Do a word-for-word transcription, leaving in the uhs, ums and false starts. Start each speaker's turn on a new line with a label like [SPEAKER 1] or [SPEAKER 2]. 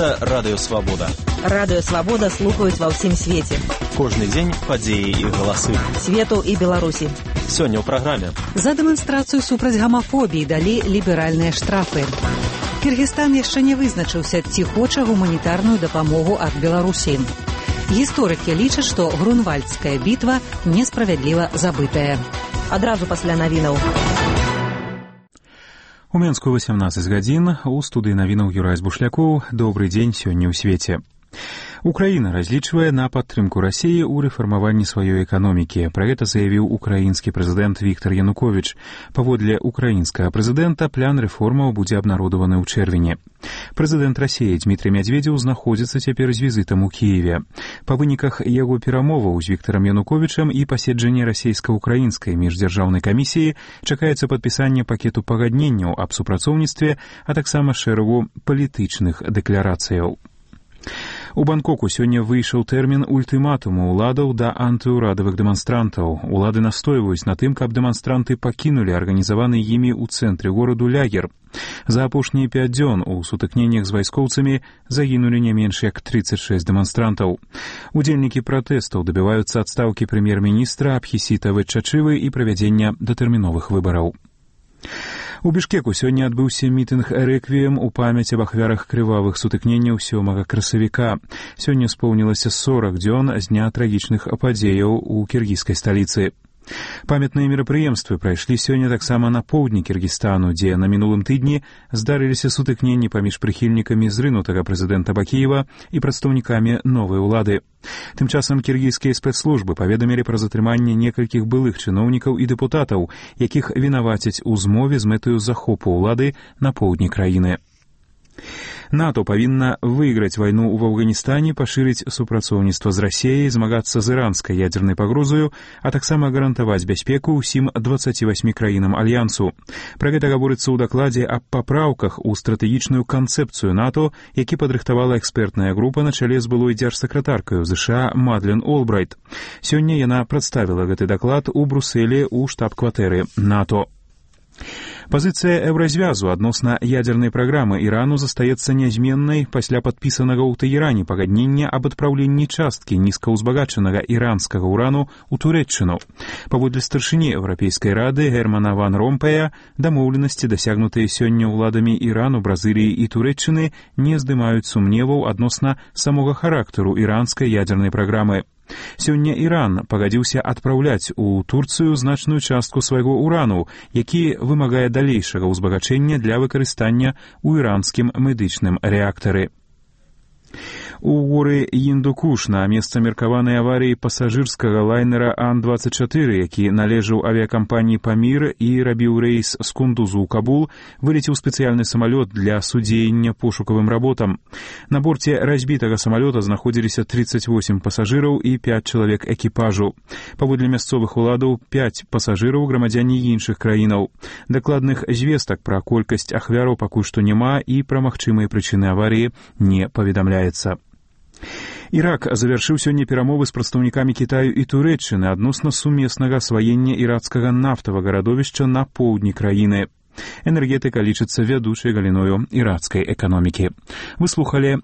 [SPEAKER 1] Гэта Радыё Свабода.
[SPEAKER 2] Радыё Свабода слухаюць ва ўсім свеце.
[SPEAKER 1] Кожны дзень падзеі і галасы.
[SPEAKER 2] Свету і Беларусі.
[SPEAKER 1] Сёння ў праграме.
[SPEAKER 3] За дэманстрацыю супраць гамафобіі далі ліберальныя штрафы. Кыргызстан яшчэ не вызначыўся, ці хоча гуманітарную дапамогу ад Беларусі. Гісторыкі лічаць, што Грунвальдская бітва несправядліва забытая.
[SPEAKER 2] Адразу пасля навінаў.
[SPEAKER 4] У Менску васямнаццаць гадзін, у студыі навінаў Юрай Збушлякоў. Добры дзень сёння ў свеце. Украіна разлічвае на падтрымку Расіі ў рэфармаванні сваёй эканомікі. Пра гэта заявіў украінскі прэзідэнт Віктар Януковіч. Паводле украінскага прэзідэнта, план рэформаў будзе абнародаваны ў чэрвені. Прэзідэнт Расіі Дмітрый Мядзведзеў знаходзіцца цяпер з візітам у Кіеве. Па выніках яго перамоваў з Віктарам Януковічам і паседжання расійска-украінскай міждзяржаўнай камісіі чакаецца падпісанне пакету пагадненняў аб супрацоўніцтве, а таксама шэрагу палітычных дэкларацыяў. У Бангкоку сёння выйшаў тэрмін ультыматуму ўладаў да антыўрадавых дэманстрантаў. Улады настойваюць на тым, каб дэманстранты пакінулі арганізаваны імі ў цэнтры гораду лагер. За апошнія пяць дзён у сутыкненнях з вайскоўцамі загінулі не менш як трыццаць шэсць дэманстрантаў. Удзельнікі пратэстаў дабіваюцца адстаўкі прэм'ер-міністра Абхісіта Вэтчачывы і правядзення датэрміновых выбараў. У Бішкеку сёння адбыўся мітынг рэквіем у памяць аб ахвярах крывавых сутыкненняў сёмага красавіка. Сёння споўнілася сорак дзён з дня трагічных падзеяў у кіргізскай сталіцы. Памятныя мерапрыемствы прайшлі сёння таксама на поўдні Кіргізстану, дзе на мінулым тыдні здарыліся сутыкненні паміж прыхільнікамі зрынутага прэзідэнта Бакіева і прадстаўнікамі новай улады. Тым часам кіргізскія спецслужбы паведамілі пра затрыманне некалькіх былых чыноўнікаў і дэпутатаў, якіх вінавацяць у змове з мэтаю захопу ўлады на поўдні краіны. НАТО павінна выйграць вайну ў Афганістане, пашырыць супрацоўніцтва з Расіяй, змагацца з іранскай ядзернай пагрозаю, а таксама гарантаваць бяспеку ўсім дваццаці васьмі краінам альянсу. Пра гэта гаворыцца ў дакладзе аб папраўках у стратэгічную канцэпцыю НАТО, які падрыхтавала экспертная група на чале з былой дзяржсакратаркаю ЗША Мадлен Олбрайт. Сёння яна прадставіла гэты даклад у Брусэлі ў штаб-кватэры НАТО. Пазіцыя Еўразвязу адносна ядзернай праграмы Ірану застаецца нязменнай пасля падпісанага ў Тэherане пагаднення аб адпраўленні часткі нізкаўзбагачанага іранскага ўрану ў Турэччыну. Паводле старшыні Еўрапейскай рады Германа ван Ромпея, дамоўленасці, дасягнутыя сёння ўладамі Ірану, Бразыліі і Турэччыны, не здымаюць сумневаў адносна самога характару іранскай ядзернай праграмы. Сёння Іран пагадзіўся адпраўляць у Турцыю значную частку свайго ўрану, які вымагае далейшага ўзбагачэння для выкарыстання ў іранскім медычным рэактары. У горы Індукуш на месца меркаванай аварыі пасажырскага лайнера Ан дваццаць чатыры, які належаў авіякампаніі «Памір» і рабіў рэйс з Кундузу ў Кабул, вылецеў спецыяльны самалёт для судзеяння пошукавым работам. На борце разбітага самалёта знаходзіліся трыццаць восем пасажыраў і пяць чалавек экіпажу. Паводле мясцовых уладаў, пяць пасажыраў грамадзяне іншых краінаў. Дакладных звестак пра колькасць ахвяраў пакуль што няма і пра магчымыя прычыны аварыі не паведамляецца. Ірак завяршыў сёння перамовы з прадстаўнікамі Кітаю і Турэччыны адносна сумеснага асваення іракскага нафтавага радовішча на поўдні краіны. Энергетыка лічыцца вядучай галіною іракскай эканомікі. Вы слухалі